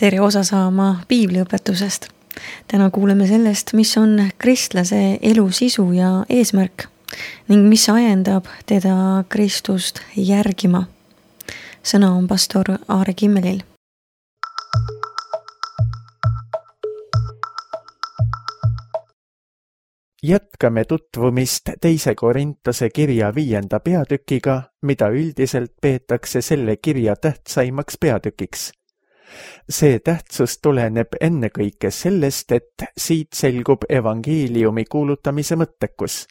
tere osa saama piibliõpetusest. Täna kuuleme sellest, mis on kristlase elu sisu ja eesmärk ning mis ajendab teda Kristust järgima. Sõna on pastor Aare Kimmelil. Jätkame tutvumist 2. Korintuse kirja 5. peatükiga, mida üldiselt peetakse selle kirja tähtsaimaks peatükiks. See tähtsus tuleneb ennekõike sellest, et siit selgub evangeeliumi kuulutamise mõttekus.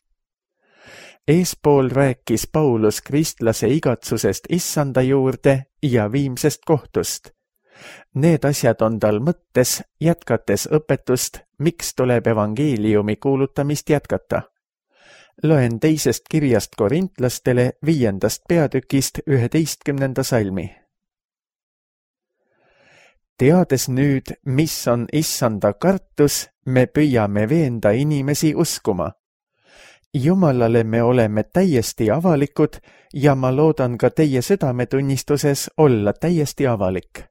Eespool rääkis Paulus kristlase igatsusest issanda juurde ja viimsest kohtust. Need asjad on tal mõttes, jätkates õpetust, miks tuleb evangeeliumi kuulutamist jätkata. Loen 2. kirjast korintlastele 5. peatükist 11. salmi. Teades nüüd, mis on issanda kartus, me püüame veenda inimesi uskuma. Jumalale me oleme täiesti avalikud ja ma loodan ka teie südametunnistuses olla täiesti avalik.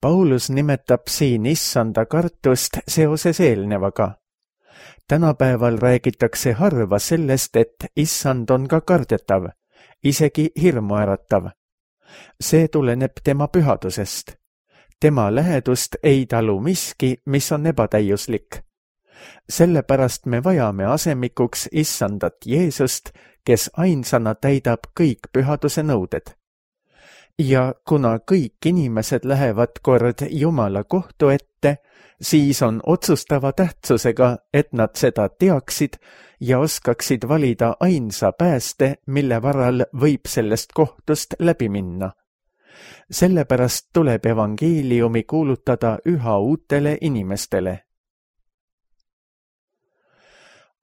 Paulus nimetab siin issanda kartust seoses eelnevaga. Tänapäeval räägitakse harva sellest, et issand on ka kardetav, isegi hirmuäratav. See tuleneb tema pühadusest. Tema lähedust ei talu miski, mis on ebatäiuslik. Sellepärast me vajame asemikuks issandat Jeesust, kes ainsana täidab kõik pühaduse nõuded. Ja kuna kõik inimesed lähevad kord Jumala kohtu ette, siis on otsustava tähtsusega, et nad seda teaksid ja oskaksid valida ainsa pääste, mille varal võib sellest kohtust läbi minna. Sellepärast tuleb evangeeliumi kuulutada üha uutele inimestele.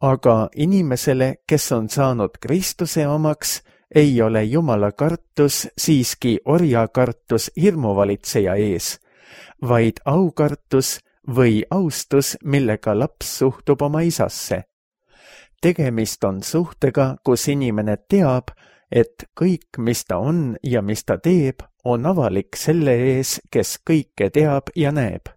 Aga inimesele, kes on saanud Kristuse omaks, ei ole Jumala kartus siiski orjakartus hirmuvalitseja ees, vaid aukartus või austus, millega laps suhtub oma isasse. Tegemist on suhtega, kus inimene teab, et kõik, mis ta on ja mis ta teeb, on avalik selle ees, kes kõike teab ja näeb.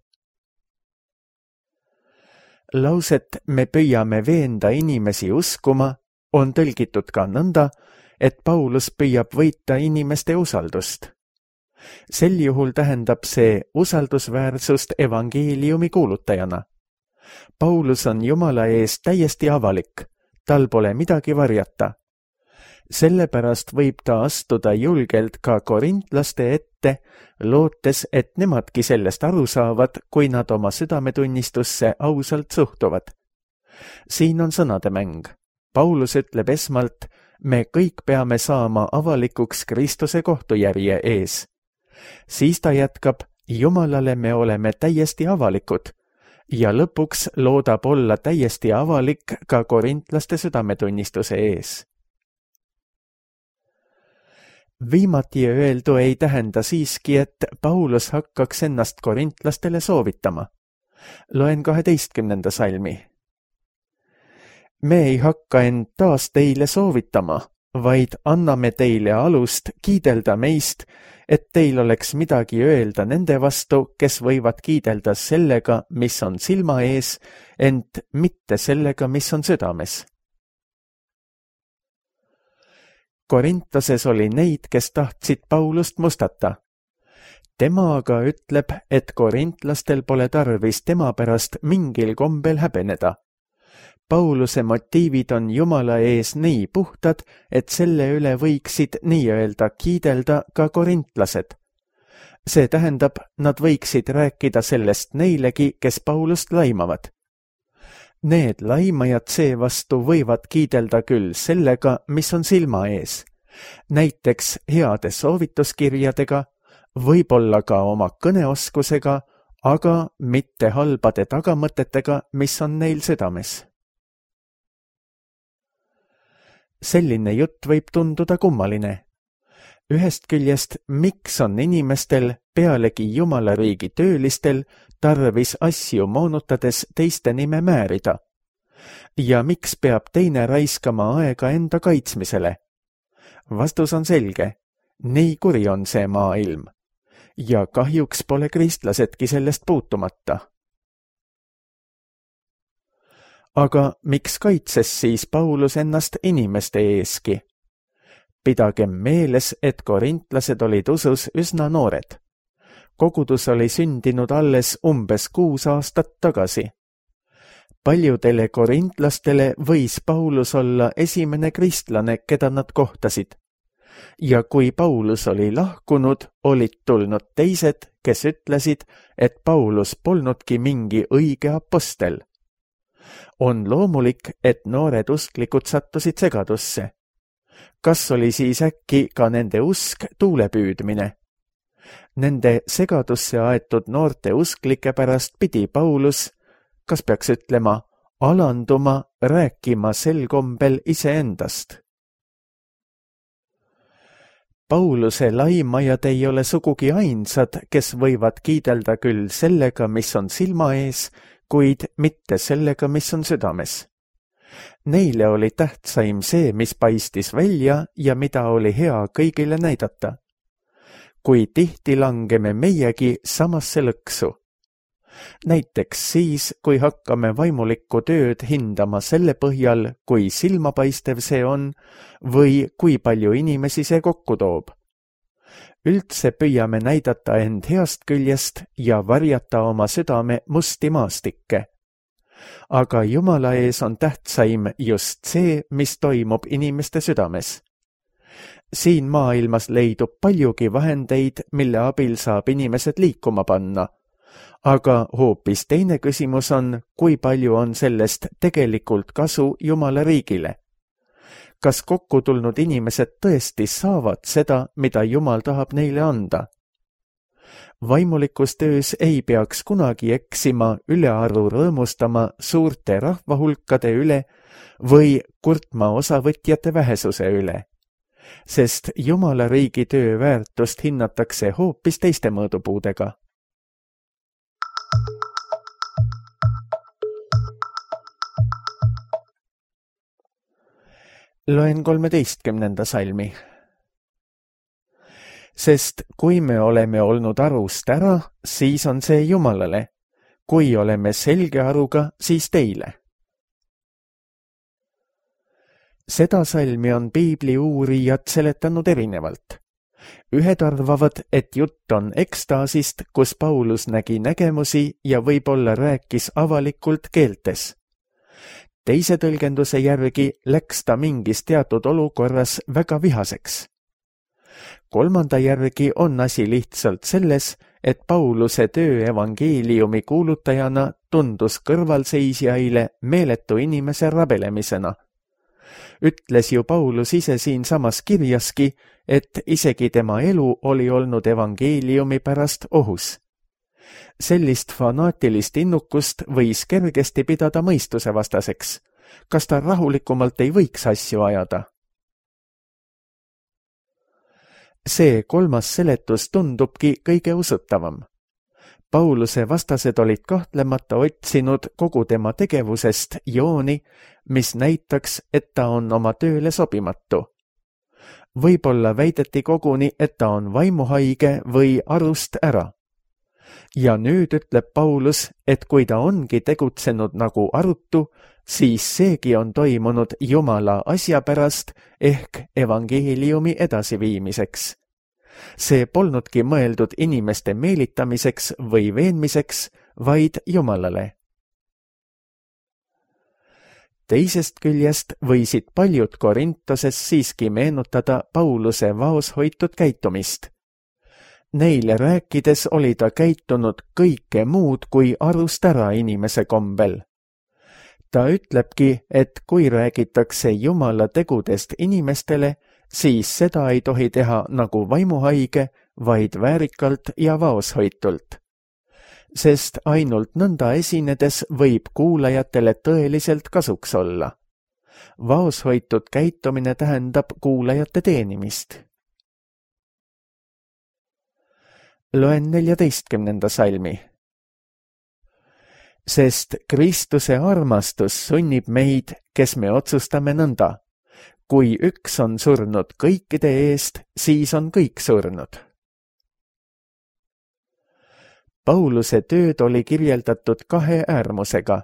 Lauset me püüame veenda inimesi uskuma on tõlgitud ka nõnda, et Paulus püüab võita inimeste usaldust. Sel juhul tähendab see usaldusväärsust evangeeliumi kuulutajana. Paulus on Jumala ees täiesti avalik, tal pole midagi varjata. Sellepärast võib ta astuda julgelt ka korintlaste ette, lootes, et nemadki sellest aru saavad, kui nad oma südametunnistusse ausalt suhtuvad. Siin on sõnademäng. Paulus ütleb esmalt, me kõik peame saama avalikuks Kristuse kohtujärje ees. Siis ta jätkab, Jumalale me oleme täiesti avalikud ja lõpuks loodab olla täiesti avalik ka korintlaste südametunnistuse ees. Viimati öeldu ei tähenda siiski, et Paulus hakkaks ennast korintlastele soovitama. Loen 12. salmi. Me ei hakka end taas teile soovitama, vaid anname teile alust kiidelda meist, et teil oleks midagi öelda nende vastu, kes võivad kiidelda sellega, mis on silma ees, ent mitte sellega, mis on südames. Korintoses oli neid, kes tahtsid Paulust mustata. Tema aga ütleb, et korintlastel pole tarvis tema pärast mingil kombel häbeneda. Pauluse motiivid on Jumala ees nii puhtad, et selle üle võiksid nii-öelda kiidelda ka korintlased. See tähendab, nad võiksid rääkida sellest neilegi, kes Paulust laimavad. Need laimajad seevastu võivad kiidelda küll sellega, mis on silma ees. Näiteks heade soovituskirjadega, võib-olla ka oma kõneoskusega, aga mitte halbade tagamõtetega, mis on neil südames. Selline jutt võib tunduda kummaline. Ühest küljest, miks on inimestel, pealegi Jumala riigi töölistel, tarvis asju moonutades teiste nime määrida? Ja miks peab teine raiskama aega enda kaitsmisele? Vastus on selge. Nii kuri on see maailm. ja kahjuks pole kristlasedki sellest puutumata. Aga miks kaitses siis Paulus ennast inimeste eeski? Pidagem meeles, et korintlased olid usus üsna noored. Kogudus oli sündinud alles umbes 6 aastat tagasi. Paljudele korintlastele võis Paulus olla esimene kristlane, keda nad kohtasid. Ja kui Paulus oli lahkunud, olid tulnud teised, kes ütlesid, et Paulus polnudki mingi õige apostel. On loomulik, et noored usklikud sattusid segadusse. Kas oli siis äkki ka nende usk tuulepüüdmine? Nende segadusse aetud noorte usklike pärast pidi Paulus, kas peaks ütlema, alanduma, rääkima sel kombel iseendast. Pauluse laimajad ei ole sugugi ainsad, kes võivad kiidelda küll sellega, mis on silma ees, kuid mitte sellega, mis on südames. Neile oli tähtsaim see, mis paistis välja ja mida oli hea kõigile näidata. Kui tihti langeme meiegi samasse lõksu. Näiteks siis, kui hakkame vaimulikku tööd hindama selle põhjal, kui silmapaistev see on või kui palju inimesi see kokku toob. Üldse püüame näidata end heast küljest ja varjata oma südame musti maastikke. Aga Jumala ees on tähtsaim just see, mis toimub inimeste südames. Siin maailmas leidub paljugi vahendeid, mille abil saab inimesed liikuma panna. Aga hoopis teine küsimus on, kui palju on sellest tegelikult kasu Jumala riigile. Kas kokku tulnud inimesed tõesti saavad seda, mida Jumal tahab neile anda? Vaimulikus töös ei peaks kunagi eksima ülearu rõõmustama suurte rahvahulkade üle või kurtma osavõtjate vähesuse üle, sest Jumala riigi töö väärtust hinnatakse hoopis teiste mõõdupuudega. Loen 13. salmi. Sest kui me oleme olnud arust ära, siis on see Jumalale. Kui oleme selge aruga, siis teile. Seda salmi on piibli uurijad seletanud erinevalt. Ühed arvavad, et jutt on ekstaasist, kus Paulus nägi nägemusi ja võib-olla rääkis avalikult keeltes. Teise tõlgenduse järgi läks ta mingis teatud olukorras väga vihaseks. Kolmanda järgi on asi lihtsalt selles, et Pauluse töö evangeeliumi kuulutajana tundus kõrvalseisjaile meeletu inimese rabelemisena. Ütles ju Paulus ise siinsamas kirjaski, et isegi tema elu oli olnud evangeeliumi pärast ohus. Sellist fanaatilist innukust võis kergesti pidada mõistuse vastaseks. Kas ta rahulikumalt ei võiks asju ajada? See kolmas seletus tundubki kõige usutavam. Pauluse vastased olid kahtlemata otsinud kogu tema tegevusest jooni, mis näitaks, et ta on oma tööle sobimatu. Võib-olla väideti koguni, et ta on vaimuhaige või arust ära. Ja nüüd ütleb Paulus, et kui ta ongi tegutsenud nagu arutu, siis seegi on toimunud Jumala asja pärast ehk evangeeliumi edasiviimiseks. See polnudki mõeldud inimeste meelitamiseks või veenmiseks, vaid Jumalale. Teisest küljest võisid paljud Korintoses siiski meenutada Pauluse vaoshoitud käitumist. Neile rääkides oli ta käitunud kõike muud kui arust ära inimese kombel. Ta ütlebki, et kui räägitakse Jumala tegudest inimestele, siis seda ei tohi teha nagu vaimuhaige, vaid väärikalt ja vaoshoitult. Sest ainult nõnda esinedes võib kuulajatele tõeliselt kasuks olla. Vaoshoitud käitumine tähendab kuulajate teenimist. Loen 14. salmi. Sest Kristuse armastus sunnib meid, kes me otsustame nõnda. Kui üks on surnud kõikide eest, siis on kõik surnud. Pauluse tööd oli kirjeldatud kahe äärmusega.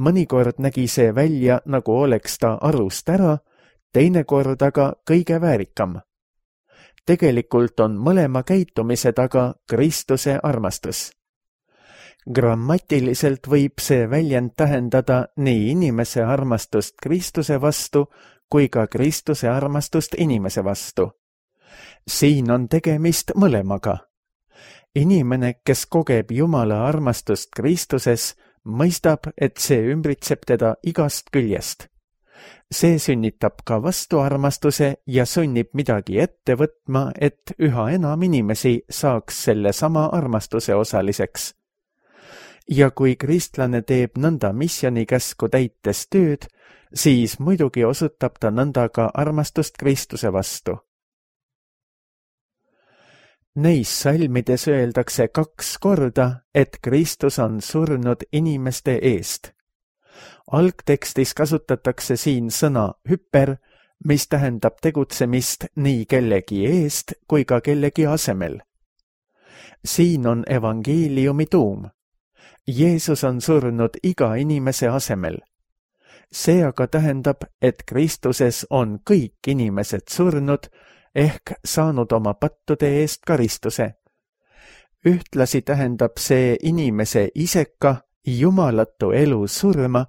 Mõnikord nägi see välja, nagu oleks ta arust ära, teinekord aga kõige väärikam. Tegelikult on mõlema käitumise taga Kristuse armastus. Grammatiliselt võib see väljend tähendada nii inimese armastust Kristuse vastu kui ka Kristuse armastust inimese vastu. Siin on tegemist mõlemaga. Inimene, kes kogeb Jumala armastust Kristuses, mõistab, et see ümbritseb teda igast küljest. See sünnitab ka vastuarmastuse ja sunnib midagi ette võtma, et üha enam inimesi saaks selle sama armastuse osaliseks. Ja kui kristlane teeb nõnda missionikäsku täites tööd, siis muidugi osutab ta nõnda ka armastust Kristuse vastu. Neis salmides öeldakse 2 korda, et Kristus on surnud inimeste eest. Algtekstis kasutatakse siin sõna hüper, mis tähendab tegutsemist nii kellegi eest kui ka kellegi asemel. Siin on evangeeliumi tuum. Jeesus on surnud iga inimese asemel. See aga tähendab, et Kristuses on kõik inimesed surnud, ehk saanud oma pattude eest karistuse. Ühtlasi tähendab see inimese iseka, jumalatu elu surma,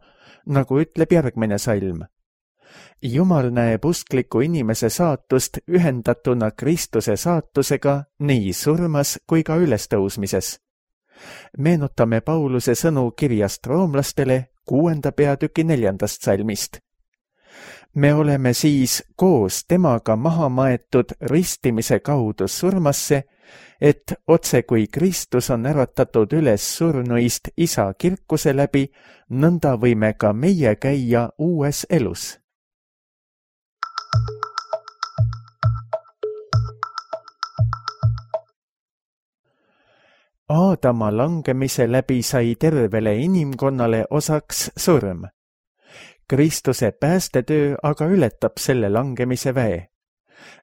nagu ütleb järgmine salm. Jumal näeb uskliku inimese saatust ühendatuna Kristuse saatusega nii surmas kui ka ülestõusmises. Meenutame Pauluse sõnu kirjast roomlastele 6. peatüki 4. salmist. Me oleme siis koos temaga maha maetud ristimise kaudu surmasse, et otse kui Kristus on äratatud üles surnuist Isa kirkuse läbi, nõnda võime ka meie käia uues elus. Aadama langemise läbi sai tervele inimkonnale osaks surm. Kristuse päästetöö aga ületab selle langemise väe.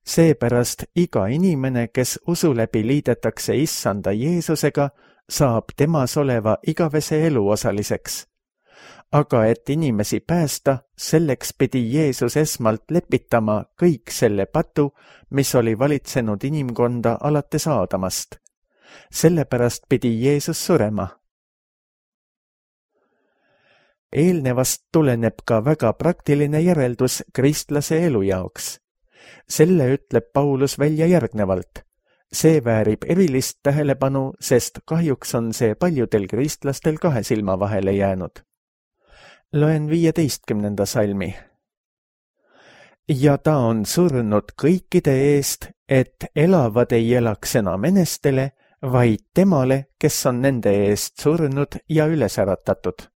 Seepärast iga inimene, kes usu läbi liidetakse Issanda Jeesusega, saab temas oleva igavese elu osaliseks. Aga et inimesi päästa, selleks pidi Jeesus esmalt lepitama kõik selle patu, mis oli valitsenud inimkonda alates Aadamast. Sellepärast pidi Jeesus surema. Eelnevast tuleneb ka väga praktiline järeldus kristlase elu jaoks. Selle ütleb Paulus välja järgnevalt. See väärib erilist tähelepanu, sest kahjuks on see paljudel kristlastel 2 silma vahele jäänud. Loen 15. salmi. Ja ta on surnud kõikide eest, et elavad ei elaks enam enestele, vaid temale, kes on nende eest surnud ja üles äratatud.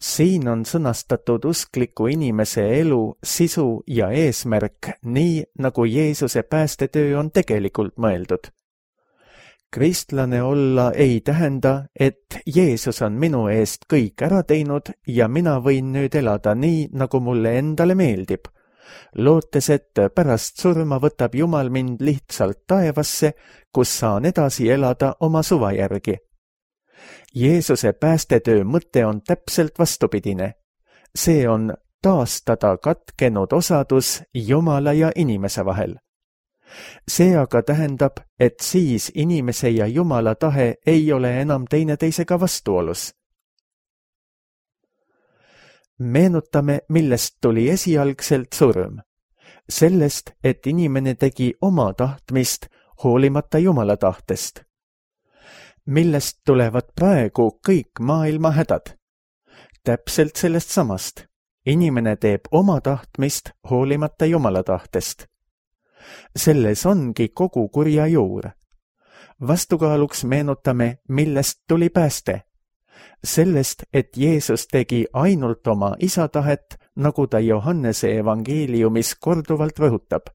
Siin on sõnastatud uskliku inimese elu, sisu ja eesmärk nii, nagu Jeesuse päästetöö on tegelikult mõeldud. Kristlane olla ei tähenda, et Jeesus on minu eest kõik ära teinud ja mina võin nüüd elada nii, nagu mulle endale meeldib, lootes, et pärast surma võtab Jumal mind lihtsalt taevasse, kus saan edasi elada oma suva järgi. Jeesuse päästetöö mõte on täpselt vastupidine. See on taastada katkenud osadus Jumala ja inimese vahel. See aga tähendab, et siis inimese ja Jumala tahe ei ole enam teineteisega vastuolus. Meenutame, millest tuli esialgselt surm. Sellest, et inimene tegi oma tahtmist hoolimata Jumala tahtest. Millest tulevad praegu kõik maailma hädad? Täpselt sellest samast. Inimene teeb oma tahtmist hoolimata Jumala tahtest. Selles ongi kogu kurja juur. Vastukaaluks meenutame, millest tuli pääste. Sellest, et Jeesus tegi ainult oma isa tahet, nagu ta Johannese evangeeliumis korduvalt rõhutab.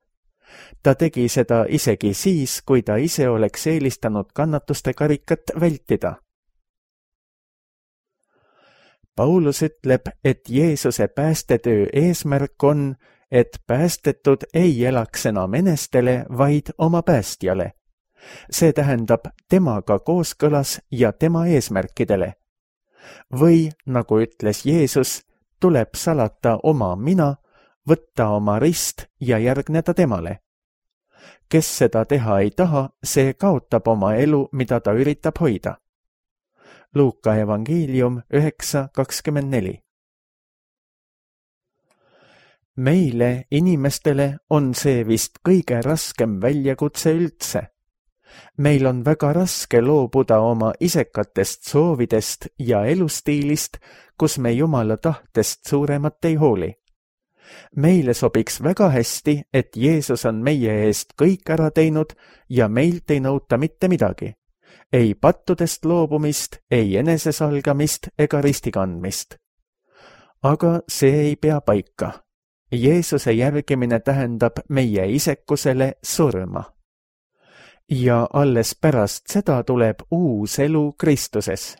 Ta tegi seda isegi siis, kui ta ise oleks eelistanud kannatuste karikat vältida. Paulus ütleb, et Jeesuse päästetöö eesmärk on, et päästetud ei elaks enam enestele, vaid oma päästjale. See tähendab temaga kooskõlas ja tema eesmärkidele. Või, nagu ütles Jeesus, tuleb salata oma mina, võtta oma rist ja järgneda temale. Kes seda teha ei taha, see kaotab oma elu, mida ta üritab hoida. Luuka evangeelium 9:24. Meile, inimestele, on see vist kõige raskem väljakutse üldse. Meil on väga raske loobuda oma isekatest soovidest ja elustiilist, kus me Jumala tahtest suuremat ei hooli. Meile sobiks väga hästi, et Jeesus on meie eest kõik ära teinud ja meilt ei nõuta mitte midagi. Ei pattudest loobumist, ei enesesalgamist ega ristikandmist. Aga see ei pea paika. Jeesuse järgimine tähendab meie isekusele surma. Ja alles pärast seda tuleb uus elu Kristuses.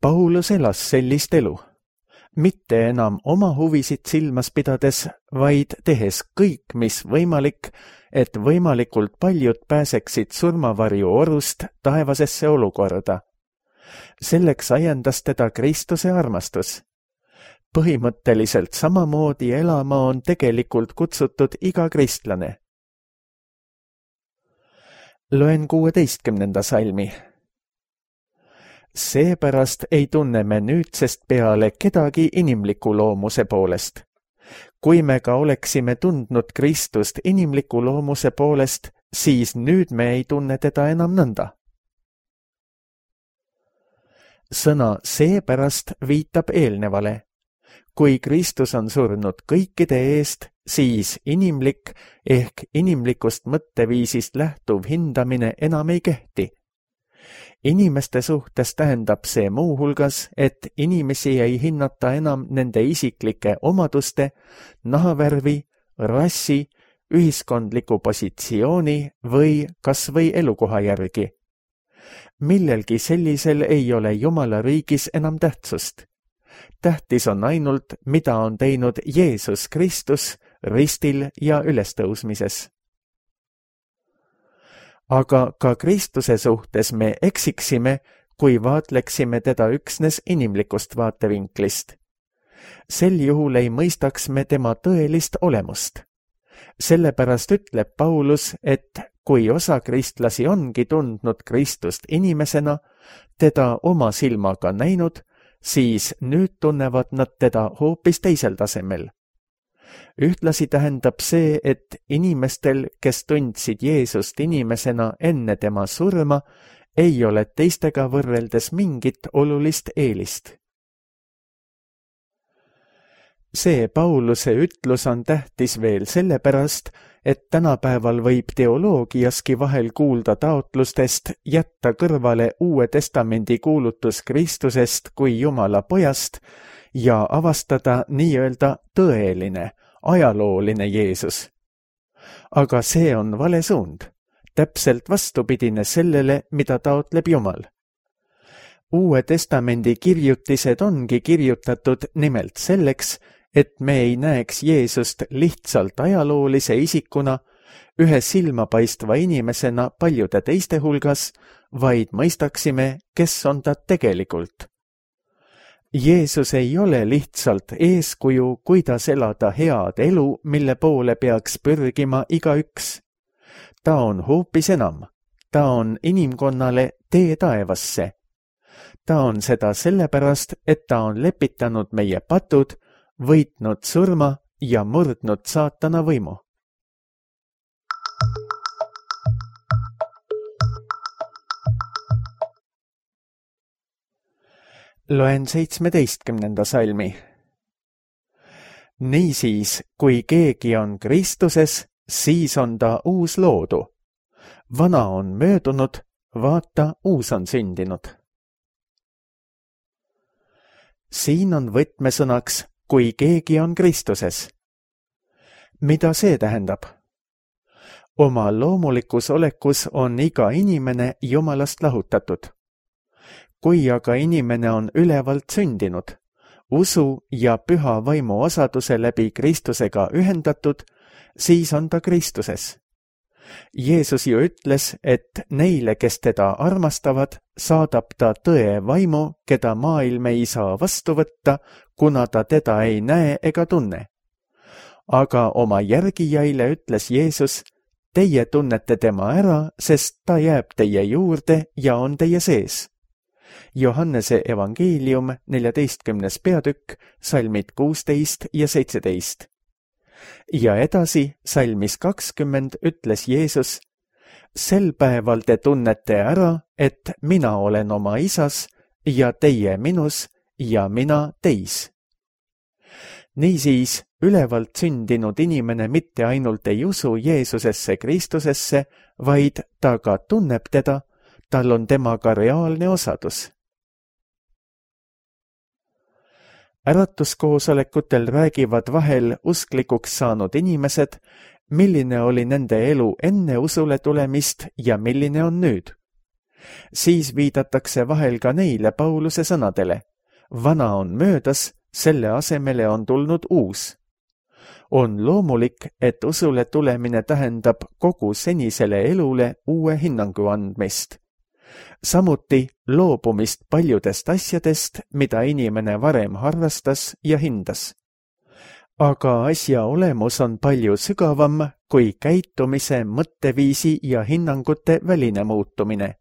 Paulus elas sellist elu, mitte enam oma huvisid silmas pidades, vaid tehes kõik, mis võimalik, et võimalikult paljud pääseksid surmavarju orust taevasesse olukorda. Selleks ajendas teda Kristuse armastus. Põhimõtteliselt samamoodi elama on tegelikult kutsutud iga kristlane. Loen 16. salmi. Seepärast ei tunne me nüüdsest peale kedagi inimliku loomuse poolest. Kui me ka oleksime tundnud Kristust inimliku loomuse poolest, siis nüüd me ei tunne teda enam nõnda. Sõna seepärast viitab eelnevale. Kui Kristus on surnud kõikide eest, siis inimlik ehk inimlikust mõtteviisist lähtuv hindamine enam ei kehti. Inimeste suhtes tähendab see muuhulgas, et inimesi ei hinnata enam nende isiklike omaduste, nahavärvi, rassi, ühiskondliku positsiooni või kas või elukoha järgi. Millelgi sellisel ei ole Jumala riigis enam tähtsust. Tähtis on ainult, mida on teinud Jeesus Kristus ristil ja ülestõusmises. Aga ka Kristuse suhtes me eksiksime, kui vaatleksime teda üksnes inimlikust vaatevinklist. Sel juhul ei mõistaks me tema tõelist olemust. Sellepärast ütleb Paulus, et kui osa kristlasi ongi tundnud Kristust inimesena, teda oma silmaga näinud, siis nüüd tunnevad nad teda hoopis teisel tasemel. Ühtlasi tähendab see, et inimestel, kes tundsid Jeesust inimesena enne tema surma, ei ole teistega võrreldes mingit olulist eelist. See Pauluse ütlus on tähtis veel sellepärast, et tänapäeval võib teoloogiaski vahel kuulda taotlustest jätta kõrvale Uue Testamendi kuulutus Kristusest kui Jumala pojast ja avastada nii-öelda tõeline, ajalooline Jeesus. Aga see on vale suund, täpselt vastupidine sellele, mida taotleb Jumal. Uue Testamendi kirjutised ongi kirjutatud nimelt selleks, et me ei näeks Jeesust lihtsalt ajaloolise isikuna, ühe silmapaistva inimesena paljude teiste hulgas, vaid mõistaksime, kes on ta tegelikult. Jeesus ei ole lihtsalt eeskuju, kuidas elada head elu, mille poole peaks pürgima igaüks. Ta on hoopis enam. Ta on inimkonnale tee taevasse. Ta on seda sellepärast, et ta on lepitanud meie patud, võitnud surma ja murdnud saatana võimu. Loen 17. salmi. Niisiis, kui keegi on Kristuses, siis on ta uus loodu. Vana on möödunud, vaata, uus on sündinud. Siin on võtmesõnaks, kui keegi on Kristuses. Mida see tähendab? Oma loomulikus olekus on iga inimene Jumalast lahutatud. Kui aga inimene on ülevalt sündinud, usu ja püha vaimu osaduse läbi Kristusega ühendatud, siis on ta Kristuses. Jeesus ju ütles, et neile, kes teda armastavad, saadab ta tõe vaimu, keda maailm ei saa vastu võtta, kuna ta teda ei näe ega tunne. Aga oma järgijaile ütles Jeesus, teie tunnete tema ära, sest ta jääb teie juurde ja on teie sees. Johannese evangeelium 14. peatükk, salmid 16 ja 17. Ja edasi, salmis 20 ütles Jeesus, sel päeval te tunnete ära, et mina olen oma isas ja teie minus ja mina teis. Niisiis, ülevalt sündinud inimene mitte ainult ei usu Jeesusesse Kristusesse, vaid ta ka tunneb teda, tal on temaga reaalne osadus. Äratuskoosolekutel räägivad vahel usklikuks saanud inimesed, milline oli nende elu enne usule tulemist ja milline on nüüd. Siis viidatakse vahel ka neile Pauluse sõnadele. Vana on möödas, selle asemele on tulnud uus. On loomulik, et usule tulemine tähendab kogu senisele elule uue hinnangu andmist. Samuti loobumist paljudest asjadest, mida inimene varem harrastas ja hindas. Aga asja olemus on palju sügavam kui käitumise, mõtteviisi ja hinnangute väline muutumine.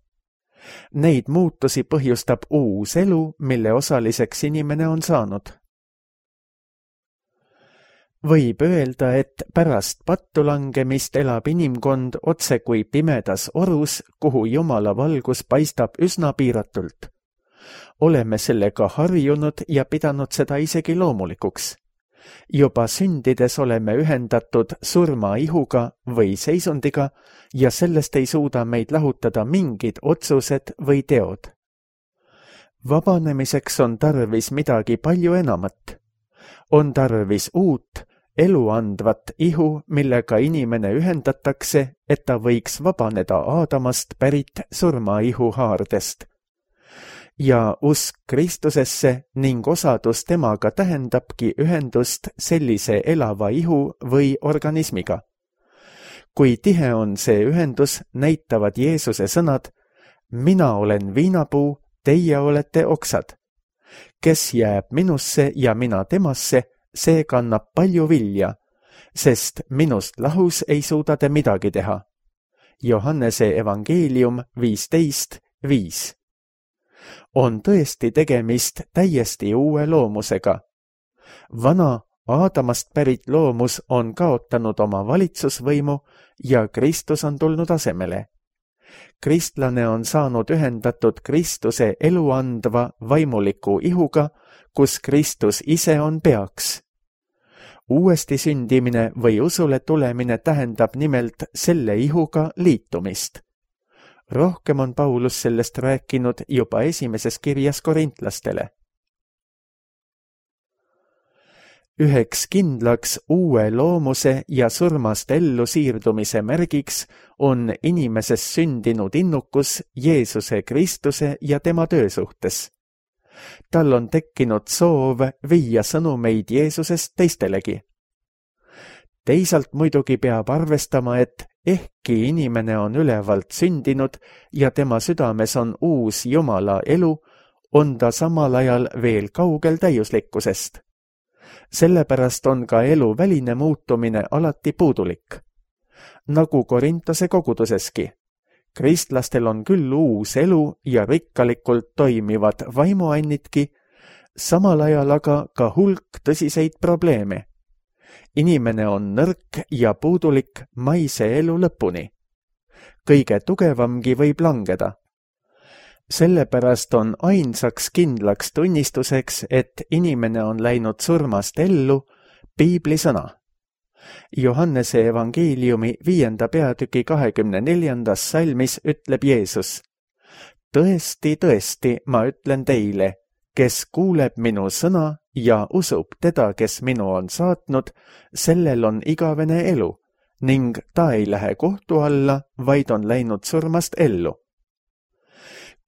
Neid muutusi põhjustab uus elu, mille osaliseks inimene on saanud. Võib öelda, et pärast pattu langemist elab inimkond otse kui pimedas orus, kuhu Jumala valgus paistab üsna piiratult. Oleme sellega harjunud ja pidanud seda isegi loomulikuks. Juba sündides oleme ühendatud surmaihuga või seisundiga ja sellest ei suuda meid lahutada mingid otsused või teod. Vabanemiseks on tarvis midagi palju enamat. On tarvis uut, eluandvat ihu, millega inimene ühendatakse, et ta võiks vabaneda Aadamast pärit surmaihu haardest. Ja usk Kristusesse ning osadus temaga tähendabki ühendust sellise elava ihu või organismiga. Kui tihe on see ühendus, näitavad Jeesuse sõnad, mina olen viinapuu, teie olete oksad. Kes jääb minusse ja mina temasse, see kannab palju vilja, sest minust lahus ei suuda te midagi teha. Johannese evangeelium 15:5. On tõesti tegemist täiesti uue loomusega. Vana Aadamast pärit loomus on kaotanud oma valitsusvõimu ja Kristus on tulnud asemele. Kristlane on saanud ühendatud Kristuse eluandva vaimuliku ihuga, kus Kristus ise on peaks. Uuesti sündimine või usule tulemine tähendab nimelt selle ihuga liitumist. Rohkem on Paulus sellest rääkinud juba esimeses kirjas korintlastele. Üheks kindlaks uue loomuse ja surmast ellu siirdumise märgiks on inimeses sündinud innukus Jeesuse Kristuse ja tema töö suhtes. Tal on tekkinud soov viia sõnumeid Jeesusest teistelegi. Teisalt muidugi peab arvestama, et ehkki inimene on ülevalt sündinud ja tema südames on uus Jumala elu, on ta samal ajal veel kaugel täiuslikkusest. Sellepärast on ka elu väline muutumine alati puudulik. Nagu Korintose koguduseski. Kristlastel on küll uus elu ja rikkalikult toimivad vaimuannitki, samal ajal aga ka hulk tõsiseid probleeme. Inimene on nõrk ja puudulik maise elu lõpuni. Kõige tugevamgi võib langeda. Sellepärast on ainsaks kindlaks tunnistuseks, et inimene on läinud surmast ellu, Piibli sõna. Johannese evangeeliumi 5. peatüki 24. salmis ütleb Jeesus, tõesti, tõesti, ma ütlen teile, kes kuuleb minu sõna ja usub teda, kes minu on saatnud, sellel on igavene elu ning ta ei lähe kohtu alla, vaid on läinud surmast ellu.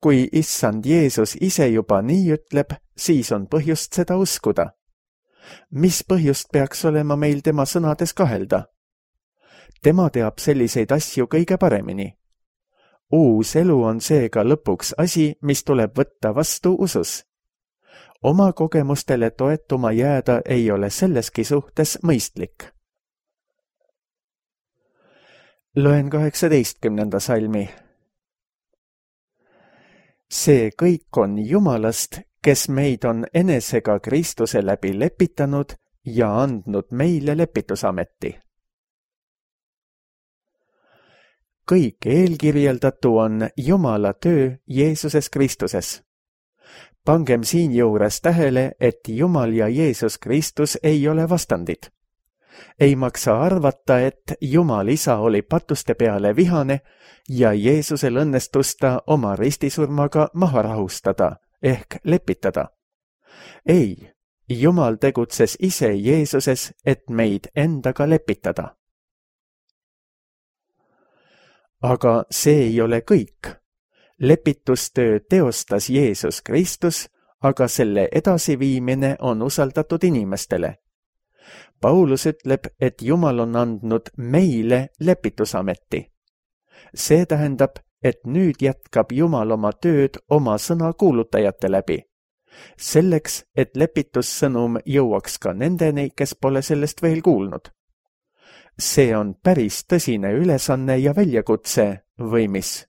kui issand Jeesus ise juba nii ütleb, siis on põhjust seda uskuda. Mis põhjust peaks olema meil tema sõnades kahelda? Tema teab selliseid asju kõige paremini. Uus elu on seega lõpuks asi, mis tuleb võtta vastu usus. Oma kogemustele toetuma jääda ei ole selleski suhtes mõistlik. Loen 18. salmi. See kõik on Jumalast, kes meid on enesega Kristuse läbi lepitanud ja andnud meile lepitusameti. Kõik eelkirjeldatu on Jumala töö Jeesuses Kristuses. Pangem siin juures tähele, et Jumal ja Jeesus Kristus ei ole vastandid. Ei maksa arvata, et Jumal isa oli patuste peale vihane ja Jeesusel õnnestus ta oma ristisurmaga maha rahustada ehk lepitada. Ei, Jumal tegutses ise Jeesuses, et meid endaga lepitada. Aga see ei ole kõik. Lepitustöö teostas Jeesus Kristus, aga selle edasiviimine on usaldatud inimestele. Paulus ütleb, et Jumal on andnud meile lepitusameti. See tähendab, et nüüd jätkab Jumal oma tööd oma sõna kuulutajate läbi. Selleks, et lepitussõnum jõuaks ka nendeni, kes pole sellest veel kuulnud. See on päris tõsine ülesanne ja väljakutse, või mis?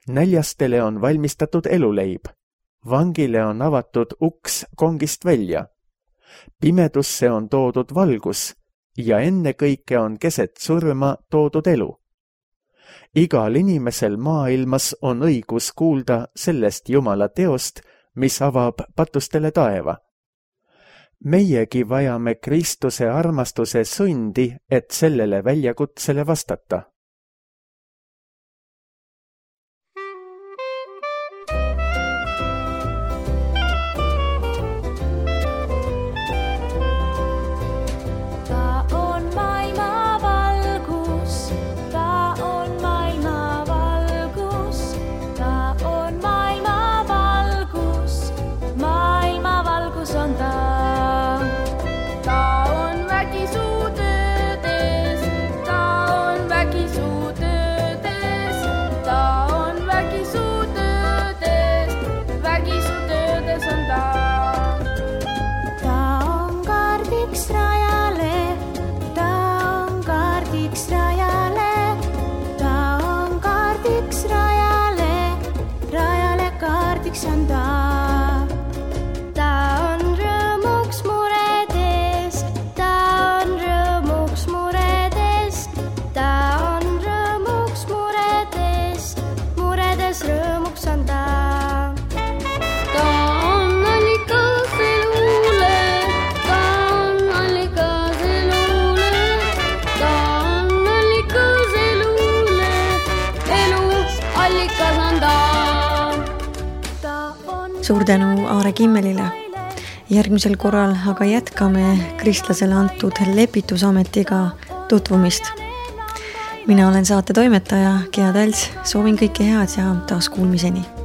Näljastele on valmistatud eluleib. Vangile on avatud uks kongist välja. Pimedusse on toodud valgus ja ennekõike on keset surma toodud elu. Igal inimesel maailmas on õigus kuulda sellest Jumala teost, mis avab patustele taeva. Meiegi vajame Kristuse armastuse sundi, et sellele väljakutsele vastata. Suur tänu Aare Kimmelile. Järgmisel korral aga jätkame kristlasele antud lepitusametiga tutvumist. Mina olen saate toimetaja Gea Tals, soovin kõike head ja taas kuulmiseni.